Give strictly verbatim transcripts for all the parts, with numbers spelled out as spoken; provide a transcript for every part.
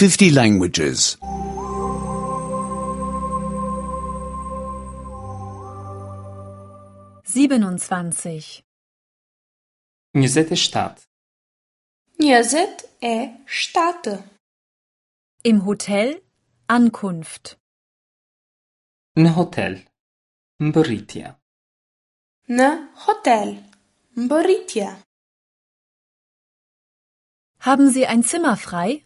fifty languages. siebenundzwanzig njëzet e shtatë. Njëzet e shtatë. Im hotel Ankunft. Në hotel. Mbërritja. Në hotel. Mbërritja. Haben Sie ein Zimmer frei?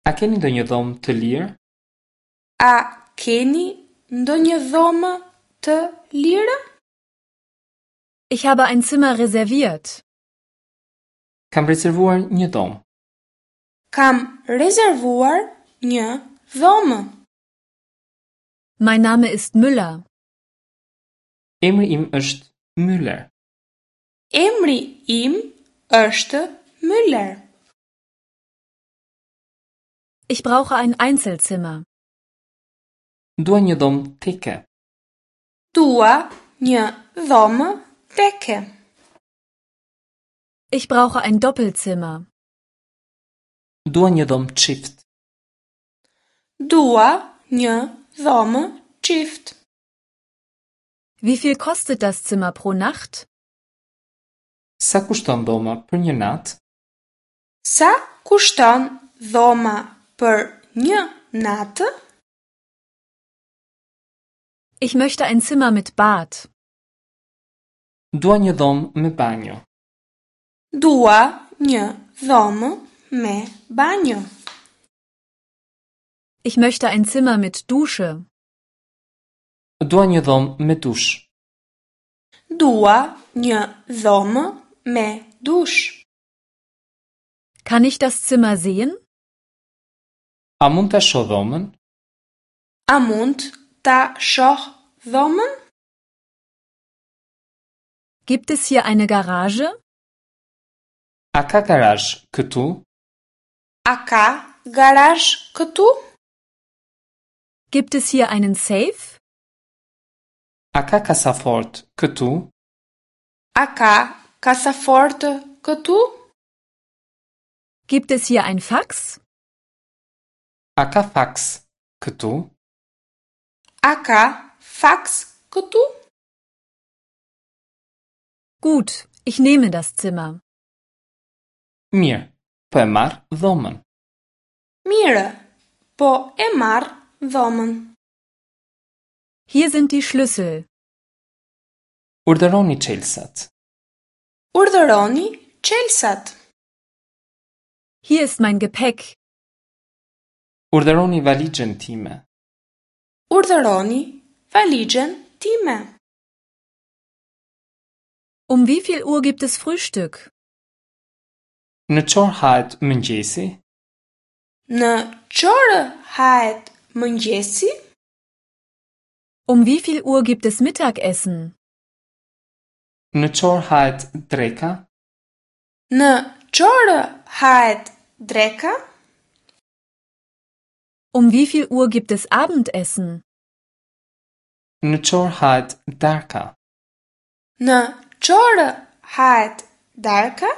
A keni ndonjë dhomë të lirë? A keni ndonjë dhomë të lirë? Ich habe ein Zimmer reserviert. Kam rezervuar një dhomë. Kam rezervuar një dhomë. Mein Name ist Müller. Emri im është Müller. Emri im është Müller. Ich brauche ein Einzelzimmer. Dua një dhomë teke. Dua një dhomë teke. Ich brauche ein Doppelzimmer. Dua një dhomë çift. Dua një dhomë çift. Wie viel kostet das Zimmer pro Nacht? Sa kushton dhoma për një natë? Sa kushton dhoma për një natë? Ich möchte ein Zimmer mit Bad. Dua një dhomë me banjo. Dua një dhomë me banjo. Ich möchte ein Zimmer mit Dusche. Dua një dhomë me dush. Dua një dhomë me dush. Kann ich das Zimmer sehen? A mund ta shoh dhomën? A mund ta shoh dhomën? Gibt es hier eine Garage? A ka garazh këtu? A ka garazh këtu? Gibt es hier einen Safe? A ka kasafort këtu? A ka kasafort këtu? Gibt es hier ein Fax? A ka faks këtu? A ka faks këtu? Gut, ich nehme das Zimmer. Mirë, po e marr dhomën. Mirë, po e marr dhomën. Hier sind die Schlüssel. Urdhëroni çelësat. Urdhëroni çelësat. Hier ist mein Gepäck. Urdhëroni valixhen time. Urdhëroni valixhen time. Um wie viel Uhr gibt es Frühstück? Në ç'orë hahet mëngjesi? Në ç'orë hahet mëngjesi? Um wie viel Uhr gibt es Mittagessen? Në ç'orë hahet dreka? Në ç'orë hahet dreka? Um wie viel Uhr gibt es Abendessen? Në ç'orë hahet darka? Në ç'orë hahet darka?